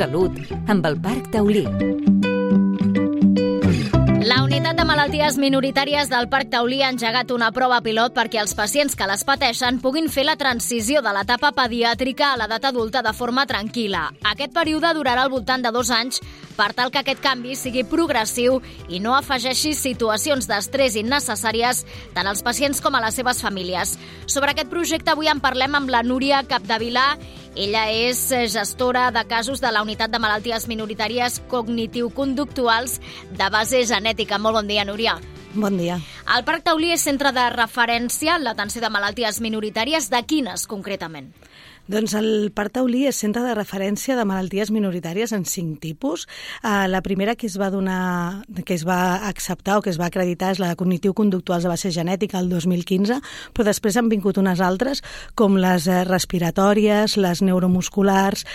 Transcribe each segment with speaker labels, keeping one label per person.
Speaker 1: Salut, amb el Parc Taulí.
Speaker 2: La Unitat de Malalties Minoritàries del Parc Taulí ha engegat una prova pilot perquè els pacients que les pateixen puguin fer la transició de l'etapa pediàtrica a l'edat adulta de forma tranquil·la. Aquest període durarà al voltant de 2 anys per tal que aquest canvi sigui progressiu i no afegeixi situacions d'estrès innecessàries tant als pacients com a les seves famílies. Sobre aquest projecte avui en parlem amb la Núria Capdevila. Ella és gestora de casos de la Unitat de Malalties Minoritàries Cognitiu-Conductuals de base genètica. Molt bon dia, Núria.
Speaker 3: Bon dia.
Speaker 2: El Parc Taulí és centre de referència en l'atenció de malalties minoritàries. De quines, concretament?
Speaker 3: Doncs el Parc Taulí és centre de referència de malalties minoritàries en 5 tipus. La primera que es va acceptar o que es va acreditar és la de cognitiu-conductuals de base genètica el 2015, però després han vingut unes altres com les respiratòries, les neuromusculars,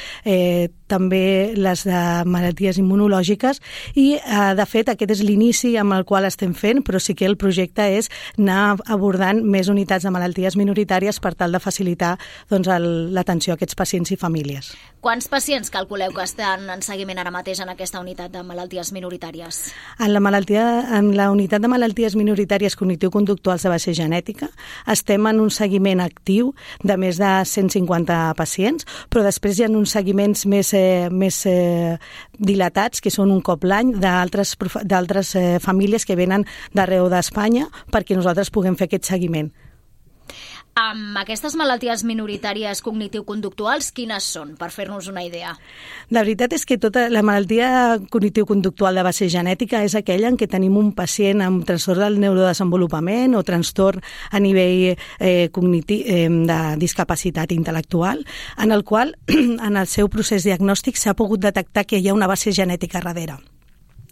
Speaker 3: també les de malalties immunològiques i, de fet, aquest és l'inici amb el qual estem fent, però sí que el projecte és anar abordant més unitats de malalties minoritàries per tal de facilitar l'atenció a aquests pacients i famílies.
Speaker 2: Quants pacients calculeu que estan en seguiment ara mateix en aquesta unitat de malalties minoritàries?
Speaker 3: En la unitat de malalties minoritàries cognitiu-conductuals de base genètica estem en un seguiment actiu de més de 150 pacients, però després hi ha uns seguiments més dilatats, que són un cop l'any, d'altres famílies que venen d'arreu d'Espanya perquè nosaltres puguem fer aquest seguiment.
Speaker 2: Amb aquestes malalties minoritàries cognitiu-conductuals, quines són, per fer-nos una idea?
Speaker 3: La veritat és que tota la malaltia cognitiu-conductual de base genètica és aquella en què tenim un pacient amb trastorn del neurodesenvolupament o trastorn a nivell cognitiu de discapacitat intel·lectual, en el qual en el seu procés diagnòstic s'ha pogut detectar que hi ha una base genètica darrere.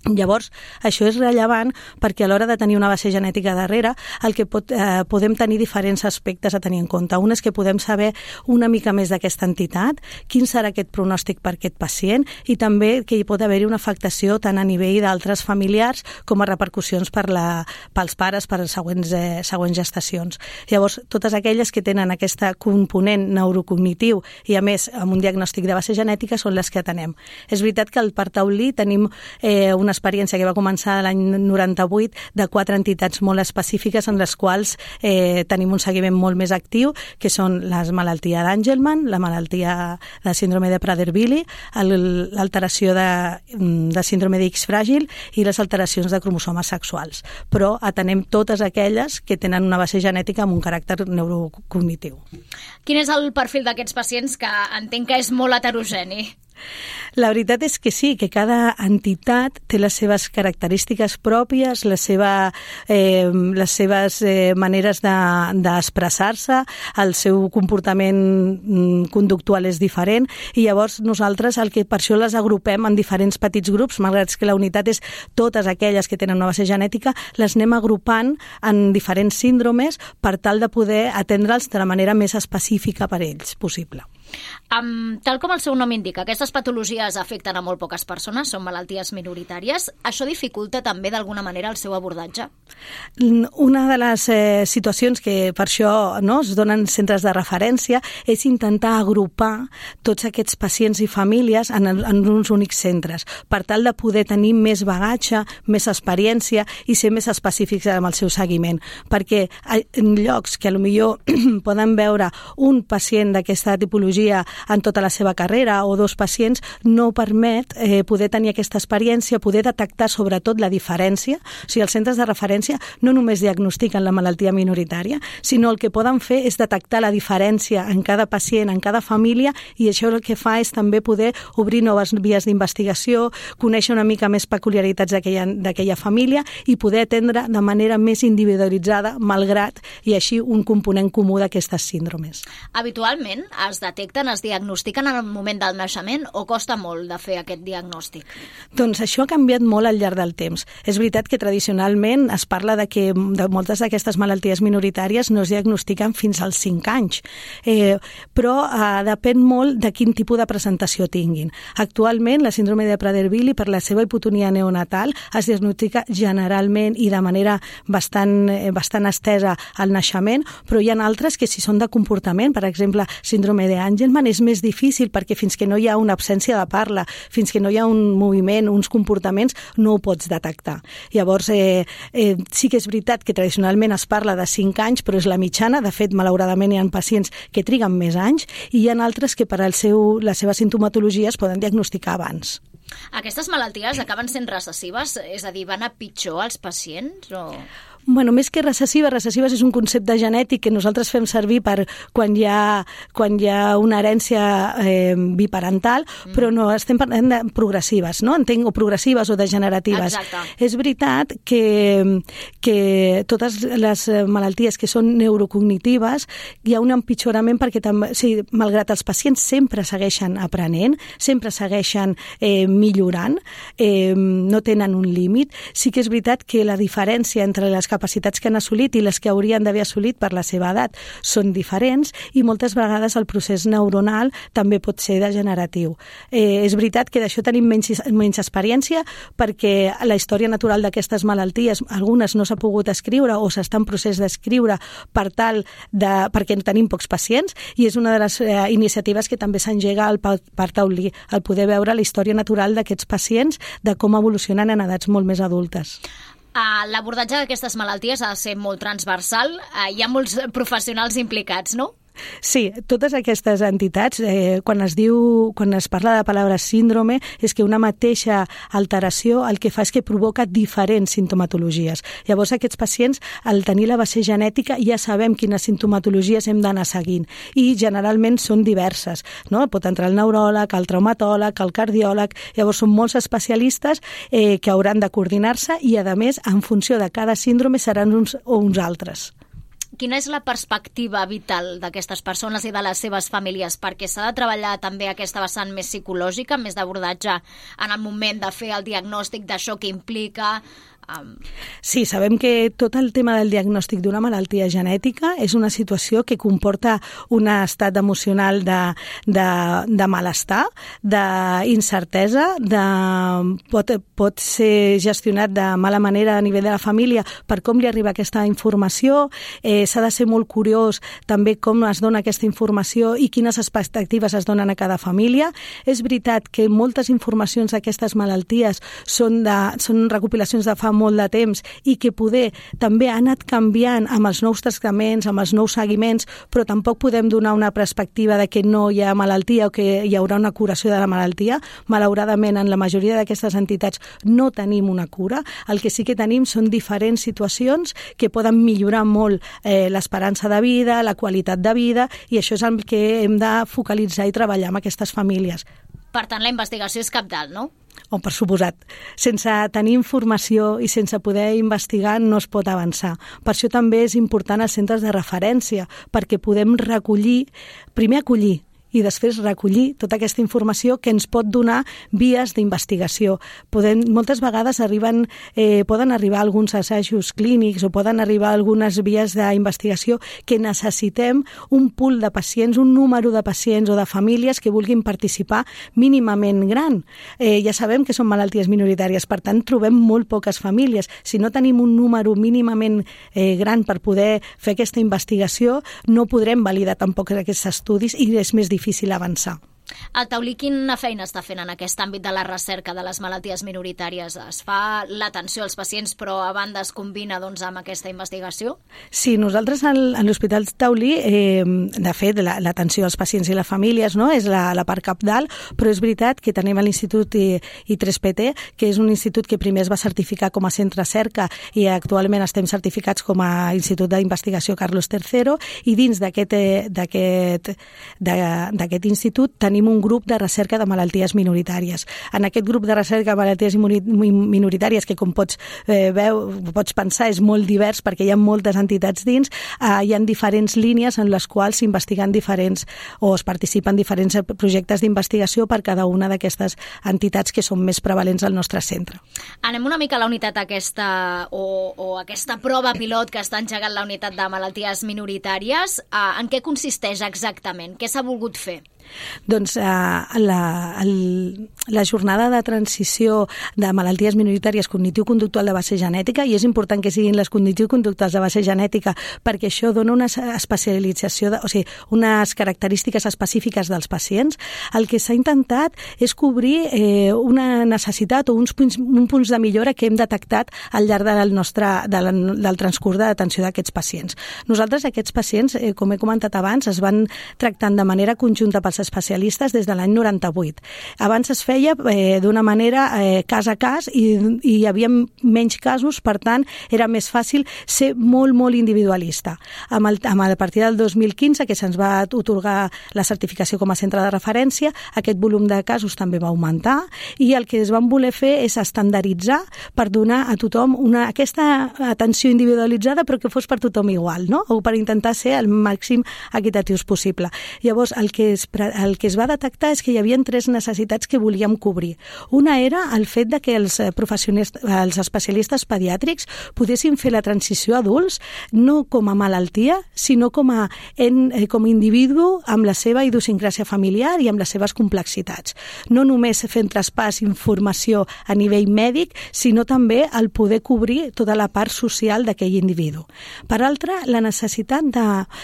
Speaker 3: Llavors, això és rellevant perquè a l'hora de tenir una base genètica darrere el que podem tenir diferents aspectes a tenir en compte. Un és que podem saber una mica més d'aquesta entitat, quin serà aquest pronòstic per aquest pacient i també que hi pot haver-hi una afectació tant a nivell d'altres familiars com a repercussions pels pares per les següents gestacions. Llavors, totes aquelles que tenen aquesta component neurocognitiu i a més amb un diagnòstic de base genètica són les que atenem. És veritat que al Parc Taulí tenim una experiència que va començar l'any 98 de 4 entitats molt específiques en les quals tenim un seguiment molt més actiu, que són la malaltia d'Angelman, la malaltia de síndrome de Prader-Willi, l'alteració de síndrome d'X fràgil i les alteracions de cromosomes sexuals. Però atenem totes aquelles que tenen una base genètica amb un caràcter neurocognitiu.
Speaker 2: Quin és el perfil d'aquests pacients, que entenc que és molt heterogeni?
Speaker 3: La veritat és que sí, que cada entitat té les seves característiques pròpies, les seves maneres d'expressar-se, el seu comportament conductual és diferent i llavors nosaltres per això les agrupem en diferents petits grups, malgrat que la unitat és totes aquelles que tenen una base genètica, les anem agrupant en diferents síndromes per tal de poder atendre'ls de la manera més específica per ells possible.
Speaker 2: Tal com el seu nom indica, aquestes patologies afecten a molt poques persones, són malalties minoritàries. Això dificulta també d'alguna manera el seu abordatge?
Speaker 3: Una de les situacions que per això es donen centres de referència és intentar agrupar tots aquests pacients i famílies en uns únics centres, per tal de poder tenir més bagatge, més experiència i ser més específics amb el seu seguiment. Perquè en llocs que potser poden veure un pacient d'aquesta tipologia en tota la seva carrera o 2 pacients, no permet poder tenir aquesta experiència, poder detectar sobretot la diferència. O sigui, els centres de referència no només diagnostiquen la malaltia minoritària, sinó el que poden fer és detectar la diferència en cada pacient, en cada família, i això el que fa és també poder obrir noves vies d'investigació, conèixer una mica més peculiaritats d'aquella família i poder atendre de manera més individualitzada, malgrat i així un component comú d'aquestes síndromes.
Speaker 2: Habitualment es detecten, es diagnostiquen en el moment del naixement o costa molt de fer aquest diagnòstic?
Speaker 3: Doncs això ha canviat molt al llarg del temps. És veritat que tradicionalment es parla de que moltes d'aquestes malalties minoritàries no es diagnostiquen fins als 5 anys, però depèn molt de quin tipus de presentació tinguin. Actualment, la síndrome de Prader-Willi, per la seva hipotonia neonatal, es diagnostica generalment i de manera bastant estesa al naixement, però hi ha altres que si són de comportament, per exemple, síndrome d'Angelman, és més difícil perquè fins que no hi ha una absència de parla, fins que no hi ha un moviment, uns comportaments, no ho pots detectar. Llavors, sí que és veritat que tradicionalment es parla de 5 anys, però és la mitjana. De fet, malauradament hi ha pacients que triguen més anys i hi ha altres que per la seva sintomatologia es poden diagnosticar abans.
Speaker 2: Aquestes malalties acaben sent recessives? És a dir, van a pitjor als pacients?
Speaker 3: Bueno, més que recessives és un concepte genètic que nosaltres fem servir per quan hi ha una herència biparental, però no, estem parlant de progressives, no? Entenc, o progressives o degeneratives.
Speaker 2: Exacte.
Speaker 3: És veritat que totes les malalties que són neurocognitives hi ha un empitjorament perquè malgrat els pacients sempre segueixen aprenent, sempre segueixen millorant, no tenen un límit. Sí que és veritat que la diferència entre les capacitats que han assolit i les que haurien d'haver assolit per la seva edat són diferents i moltes vegades el procés neuronal també pot ser degeneratiu. És veritat que d'això tenim menys experiència perquè la història natural d'aquestes malalties, algunes no s'ha pogut escriure o s'està en procés d'escriure perquè tenim pocs pacients i és una de les iniciatives que també s'engega al Parc Taulí, el poder veure la història natural d'aquests pacients, de com evolucionen en edats molt més adultes.
Speaker 2: L'abordatge d'aquestes malalties ha de ser molt transversal. Hi ha molts professionals implicats, no?
Speaker 3: Sí, totes aquestes entitats, quan es parla de la paraula síndrome, és que una mateixa alteració el que fa és que provoca diferents sintomatologies. Llavors, aquests pacients, al tenir la base genètica, ja sabem quines sintomatologies hem d'anar seguint i generalment són diverses, no? Pot entrar el neuròleg, el traumatòleg, el cardiòleg, llavors són molts especialistes que hauran de coordinar-se i, a més, en funció de cada síndrome seran uns o uns altres.
Speaker 2: Quina és la perspectiva vital d'aquestes persones i de les seves famílies? Perquè s'ha de treballar també aquesta vessant més psicològica, més d'abordatge en el moment de fer el diagnòstic d'això que implica...
Speaker 3: Sí, sabem que tot el tema del diagnòstic d'una malaltia genètica és una situació que comporta un estat emocional de malestar, d'incertesa, pot ser gestionat de mala manera a nivell de la família per com li arriba aquesta informació, s'ha de ser molt curiós també com es dona aquesta informació i quines expectatives es donen a cada família. És veritat que moltes informacions d'aquestes malalties són recopilacions de fa molt de temps i que poder també ha anat canviant amb els nous tractaments, amb els nous seguiments, però tampoc podem donar una perspectiva de que no hi ha malaltia o que hi haurà una curació de la malaltia. Malauradament, en la majoria d'aquestes entitats no tenim una cura. El que sí que tenim són diferents situacions que poden millorar molt l'esperança de vida, la qualitat de vida, i això és el que hem de focalitzar i treballar amb aquestes famílies.
Speaker 2: Per tant, la investigació és cabdal, no?
Speaker 3: Oh, per suposat. Sense tenir informació i sense poder investigar no es pot avançar. Per això també és important els centres de referència, perquè podem primer acollir i després recollir tota aquesta informació que ens pot donar vies d'investigació. Moltes vegades poden arribar alguns assajos clínics o poden arribar algunes vies d'investigació que necessitem un pool de pacients, un número de pacients o de famílies que vulguin participar mínimament gran. Ja sabem que són malalties minoritàries, per tant trobem molt poques famílies. Si no tenim un número mínimament gran per poder fer aquesta investigació, no podrem validar tampoc aquests estudis i és més difícil avançar.
Speaker 2: El Taulí quina feina està fent en aquest àmbit de la recerca de les malalties minoritàries? Es fa l'atenció als pacients però a banda es combina amb aquesta investigació?
Speaker 3: Sí, nosaltres a l'Hospital Taulí, de fet, l'atenció als pacients i les famílies és la part cabdal, però és veritat que tenim l'Institut I3PT, que és un institut que primer es va certificar com a centre cerca i actualment estem certificats com a Institut d'Investigació Carlos III, i dins d'aquest institut tenim tenim un grup de recerca de malalties minoritàries. En aquest grup de recerca de malalties minoritàries, que com pots pensar és molt divers perquè hi ha moltes entitats dins, hi ha diferents línies en les quals s'investiguen diferents o es participen diferents projectes d'investigació per cada una d'aquestes entitats que són més prevalents al nostre centre.
Speaker 2: Anem una mica a la unitat aquesta o aquesta prova pilot que està engegant la unitat de malalties minoritàries. En què consisteix exactament? Què s'ha volgut fer?
Speaker 3: Doncs la jornada de transició de malalties minoritàries cognitiu-conductual de base genètica, i és important que siguin les cognitiu-conductuals de base genètica perquè això dona una especialització, unes característiques específiques dels pacients. El que s'ha intentat és cobrir una necessitat o uns punts de millora que hem detectat al llarg del transcurs d'atenció d'aquests pacients. Nosaltres, aquests pacients, com he comentat abans, es van tractant de manera conjunta pels especialistes des de l'any 98. Abans es feia d'una manera cas a cas i hi havia menys casos, per tant, era més fàcil ser molt, molt individualista. A partir del 2015, que se'ns va atorgar la certificació com a centre de referència, aquest volum de casos també va augmentar i el que es van voler fer és estandarditzar per donar a tothom aquesta atenció individualitzada però que fos per tothom igual, no? O per intentar ser el màxim equitatius possible. Llavors, el que es va detectar és que hi havia 3 necessitats que volíem cobrir. Una era el fet de que els especialistes pediàtrics poguessin fer la transició a adults no com a malaltia, sinó com a individu amb la seva idiosincràsia familiar i amb les seves complexitats. No només fent traspàs informació a nivell mèdic, sinó també el poder cobrir tota la part social d'aquell individu. Per altra, la necessitat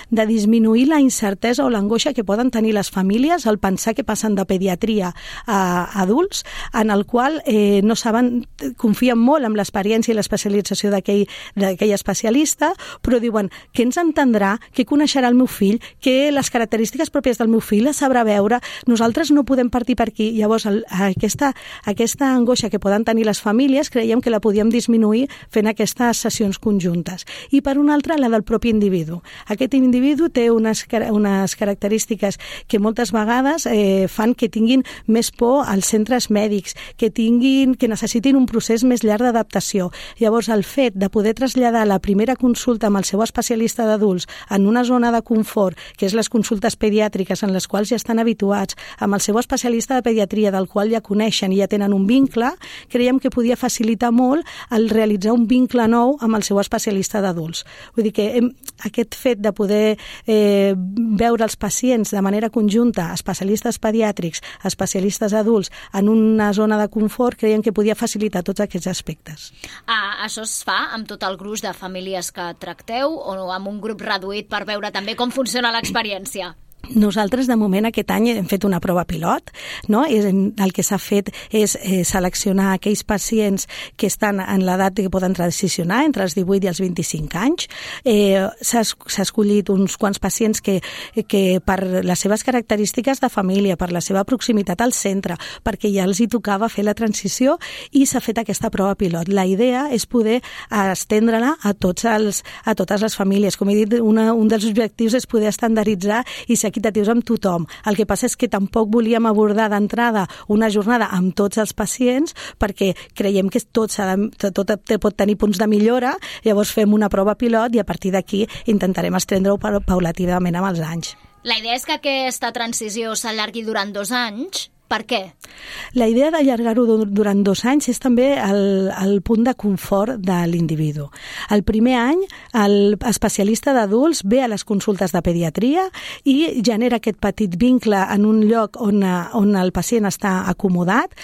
Speaker 3: de disminuir la incertesa o l'angoixa que poden tenir les famílies al pensar que passen de pediatria a adults, en el qual no saben, confien molt en l'experiència i l'especialització d'aquell especialista, però diuen què ens entendrà, què coneixerà el meu fill, que les característiques pròpies del meu fill les sabrà veure, nosaltres no podem partir per aquí. Llavors, aquesta angoixa que poden tenir les famílies creiem que la podíem disminuir fent aquestes sessions conjuntes. I per una altra, la del propi individu. Aquest individu té unes característiques que moltes vegades fan que tinguin més por als centres mèdics, que necessitin un procés més llarg d'adaptació. Llavors, el fet de poder traslladar la primera consulta amb el seu especialista d'adults en una zona de confort, que és les consultes pediàtriques en les quals ja estan habituats, amb el seu especialista de pediatria del qual ja coneixen i ja tenen un vincle, creiem que podia facilitar molt el realitzar un vincle nou amb el seu especialista d'adults. Vull dir que aquest fet de poder veure els pacients de manera conjunta, especialistes pediàtrics, especialistes adults, en una zona de confort, creiem que podia facilitar tots aquests aspectes.
Speaker 2: Això es fa amb tot el gruix de famílies que tracteu o amb un grup reduït per veure també com funciona l'experiència?
Speaker 3: Nosaltres, de moment, aquest any hem fet una prova pilot, no? El que s'ha fet és seleccionar aquells pacients que estan en l'edat que poden transicionar, entre els 18 i els 25 anys. S'ha escollit uns quants pacients que per les seves característiques de família, per la seva proximitat al centre, perquè ja els hi tocava fer la transició, i s'ha fet aquesta prova pilot. La idea és poder estendre-la a totes les famílies. Com he dit, un dels objectius és poder estandarditzar i ser equitatius amb tothom. El que passa és que tampoc volíem abordar d'entrada una jornada amb tots els pacients perquè creiem que tot pot tenir punts de millora, llavors fem una prova pilot i a partir d'aquí intentarem estendre-ho paulativament amb els anys.
Speaker 2: La idea és que aquesta transició s'allargui durant 2 anys. Per què?
Speaker 3: La idea d'allargar-ho durant 2 anys és també el punt de confort de l'individu. El primer any, l'especialista d'adults ve a les consultes de pediatria i genera aquest petit vincle en un lloc on el pacient està acomodat,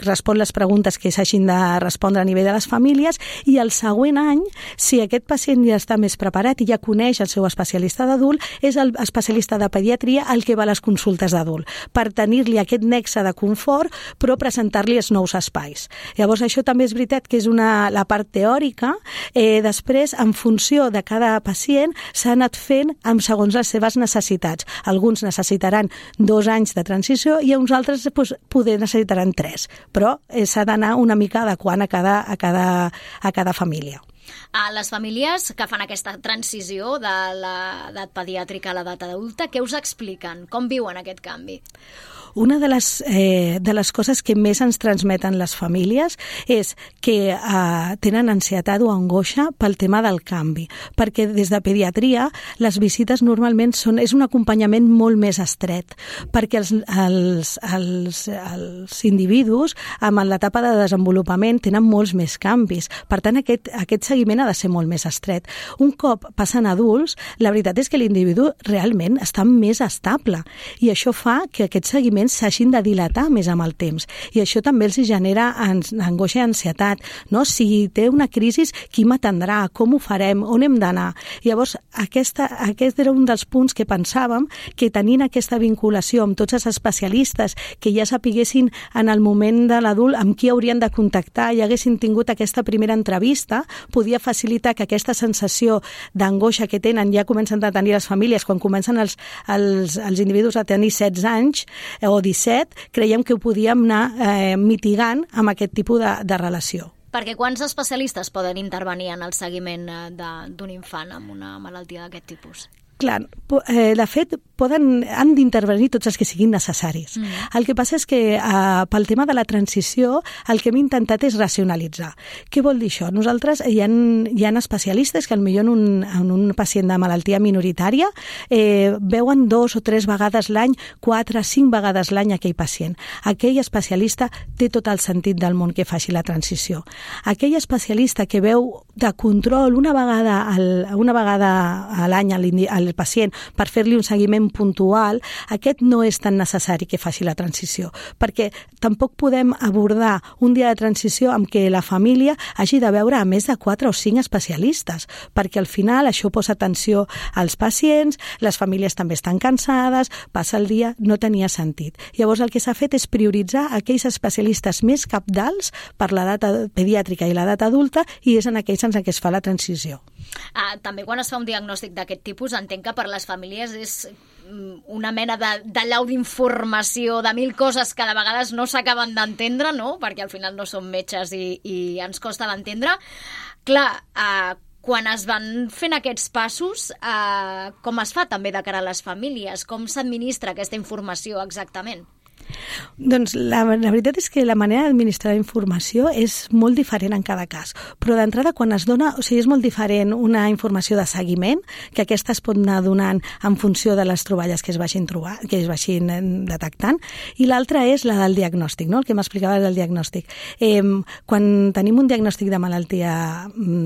Speaker 3: respon les preguntes que s'hagin de respondre a nivell de les famílies, i el següent any, si aquest pacient ja està més preparat i ja coneix el seu especialista d'adult, és el especialista de pediatria el que va a les consultes d'adult, per tenir-li aquest nexe de confort, però presentar-li els nous espais. Llavors, això també és veritat que és la part teòrica. Després, en funció de cada pacient, s'ha anat fent segons les seves necessitats. Alguns necessitaran 2 anys de transició i uns altres poder necessitaran 3, però s'ha d'anar una mica adequant a cada família.
Speaker 2: Les famílies que fan aquesta transició de l'edat pediàtrica a l'edat adulta, què us expliquen? Com viuen aquest canvi?
Speaker 3: Una de les coses que més ens transmeten les famílies és que tenen ansietat o angoixa pel tema del canvi, perquè des de pediatria les visites normalment és un acompanyament molt més estret, perquè els individus amb l'etapa de desenvolupament tenen molts més canvis, per tant aquest seguiment ha de ser molt més estret. Un cop passen adults, la veritat és que l'individu realment està més estable i això fa que aquest seguiment s'hagin de dilatar més amb el temps i això també els genera angoixa i ansietat, no? Si té una crisi, qui m'atendrà, com ho farem, on hem d'anar? Llavors, aquest era un dels punts que pensàvem que tenint aquesta vinculació amb tots els especialistes que ja sapiguessin en el moment de l'adult amb qui haurien de contactar i haguessin tingut aquesta primera entrevista, podia facilitar que aquesta sensació d'angoixa que tenen ja comencen a tenir les famílies quan comencen els individus a tenir 16 anys o 17, creiem que ho podíem anar mitigant amb aquest tipus de relació.
Speaker 2: Perquè quants especialistes poden intervenir en el seguiment d'un infant amb una malaltia d'aquest tipus?
Speaker 3: Clar, de fet, han d'intervenir tots els que siguin necessaris. El que passa és que pel tema de la transició el que hem intentat és racionalitzar. Què vol dir això? Nosaltres hi ha especialistes que potser en un pacient de malaltia minoritària veuen 2 o 3 vegades l'any, 4, 5 vegades l'any aquell pacient. Aquell especialista té tot el sentit del món que faci la transició. Aquell especialista que veu de control una vegada a l'any al pacient per fer-li un seguiment puntual, aquest no és tan necessari que faci la transició, perquè tampoc podem abordar un dia de transició amb què la família hagi de veure a més de 4 o 5 especialistes, perquè al final això posa tensió als pacients, les famílies també estan cansades, passa el dia, no tenia sentit. Llavors el que s'ha fet és prioritzar aquells especialistes més cabdals per l'edat pediàtrica i l'edat adulta i és en aquells en què es fa la transició.
Speaker 2: També quan es fa un diagnòstic d'aquest tipus entenc que per les famílies és una mena d'allau d'informació de 1000 coses que de vegades no s'acaben d'entendre, no? Perquè al final no som metges i ens costa d'entendre. Clar, quan es van fent aquests passos, com es fa també de cara a les famílies? Com s'administra aquesta informació exactament?
Speaker 3: Doncs la veritat és que la manera d'administrar la informació és molt diferent en cada cas, però d'entrada quan es dona, és molt diferent una informació de seguiment, que aquesta es pot anar donant en funció de les troballes que es vagin detectant, i l'altra és la del diagnòstic, no? El que m'explicava del diagnòstic. Quan tenim un diagnòstic de malaltia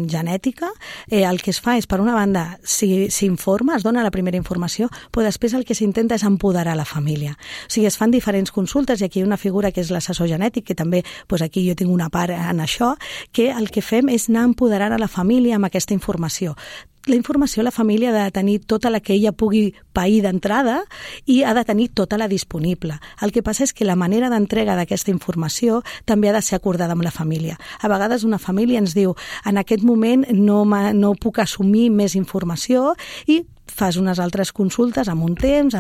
Speaker 3: genètica, el que es fa és, per una banda, s'informa, es dona la primera informació, però després el que s'intenta és empoderar la família. O sigui, es fan diferents consultes i aquí hi ha una figura que és l'assessor genètic, que també aquí jo tinc una part en això, que el que fem és anar empoderant a la família amb aquesta informació. La informació la família ha de tenir tota la que ella pugui pair d'entrada i ha de tenir tota la disponible. El que passa és que la manera d'entrega d'aquesta informació també ha de ser acordada amb la família. A vegades una família ens diu en aquest moment no puc assumir més informació i fas unes altres consultes amb un temps,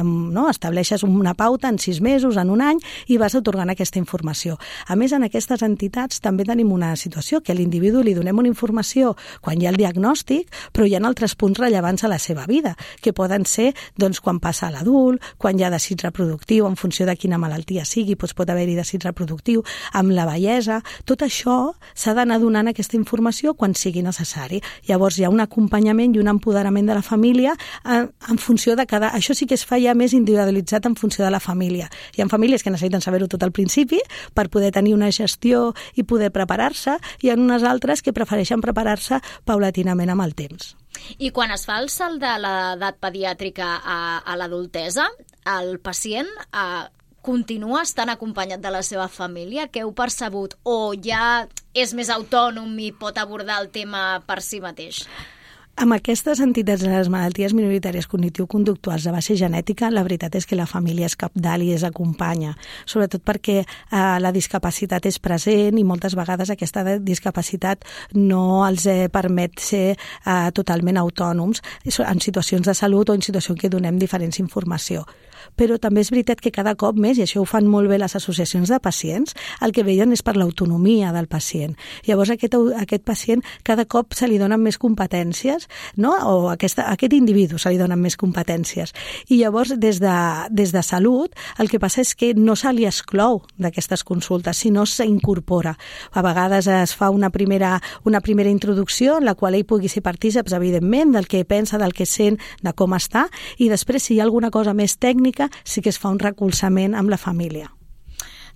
Speaker 3: estableixes una pauta en 6 mesos, en un any, i vas atorgant aquesta informació. A més, en aquestes entitats també tenim una situació que a l'individu li donem una informació quan hi ha el diagnòstic, però hi ha altres punts rellevants a la seva vida, que poden ser quan passa a l'adult, quan hi ha desig reproductiu, en funció de quina malaltia sigui, pot haver-hi desig reproductiu, amb la vellesa. Tot això s'ha d'anar donant aquesta informació quan sigui necessari. Llavors hi ha un acompanyament i un empoderament de la família en funció de cada... Això sí que es fa ja més individualitzat en funció de la família. Hi ha famílies que necessiten saber-ho tot al principi per poder tenir una gestió i poder preparar-se, i hi ha unes altres que prefereixen preparar-se paulatinament amb el temps.
Speaker 2: I quan es fa el salt de l'edat pediàtrica a l'adultesa, el pacient continua estant acompanyat de la seva família? Què heu percebut? O ja és més autònom i pot abordar el tema per si mateix?
Speaker 3: Amb aquestes entitats de les malalties minoritàries cognitivo-conductuals de base genètica, la veritat és que la família és cabdal i es acompanya, sobretot perquè la discapacitat és present i moltes vegades aquesta discapacitat no els permet ser totalment autònoms en situacions de salut o en situacions que donem diferents informació. però també és veritat que cada cop més, i això ho fan molt bé les associacions de pacients, el que veien és per l'autonomia del pacient. Llavors aquest pacient cada cop se li donen més competències, no? O a aquest individu se li donen més competències. I llavors des de Salut el que passa és que no se li exclou d'aquestes consultes, sinó s'incorpora. A vegades es fa una primera introducció en la qual ell pugui ser partíceps, evidentment, del que pensa, del que sent, de com està, i després, si hi ha alguna cosa més tècnica, sí que es fa un recolzament amb la família.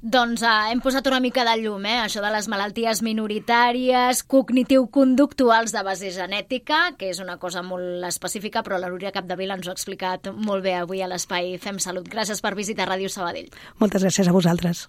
Speaker 2: Doncs hem posat una mica de llum, això de les malalties minoritàries, cognitiu-conductuals de base genètica, que és una cosa molt específica, però la Núria Capdevila ens ho ha explicat molt bé avui a l'Espai Fem Salut. Gràcies per visitar Ràdio Sabadell.
Speaker 3: Moltes gràcies a vosaltres.